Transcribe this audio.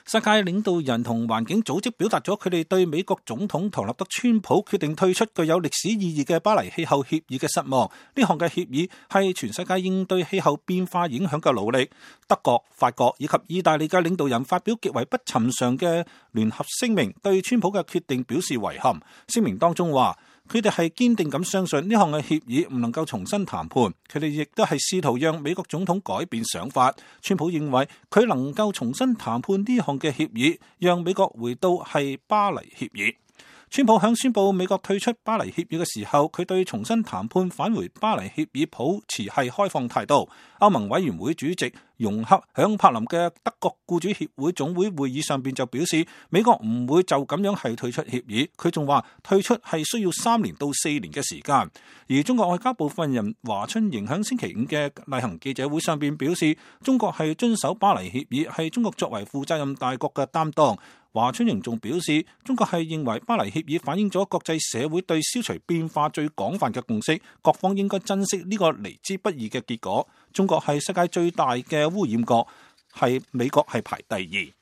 世界領導人同環境組織表達咗佢哋對美國總統唐納德川普決定退出具有歷史意義嘅巴黎氣候協議嘅失望。呢項嘅協議係全世界應對氣候變化影響嘅努力。德國、法國以及意大利嘅領導人發表極為不尋常嘅聯合聲明，對川普嘅決定表示遺憾。聲明當中話，佢哋係堅定咁相信呢項嘅協議唔能夠重新談判，佢哋亦都係試圖讓美國總統改變想法。川普認為佢能夠重新談判呢項嘅協議，讓美國回到係巴黎協議。川普響宣布美國退出巴黎協議嘅時候，佢對重新談判返回巴黎協議抱持係開放態度。歐盟委員會主席容克響柏林嘅德國僱主協會總會會議上邊就表示，美國唔會就咁樣係退出協議。佢仲話退出係需要3年到4年嘅時間。而中國外交部發言人華春瑩響星期5嘅例行記者會上邊表示，中國係遵守巴黎協議，係中國作為負責任大國嘅擔當。華春瑩仲表示，中國係認為巴黎協議反映咗國際社會對消除變化最廣泛嘅共識，各方應該珍惜呢個嚟之不易嘅結果。中國係世界最大嘅污染國，係美國係排第2。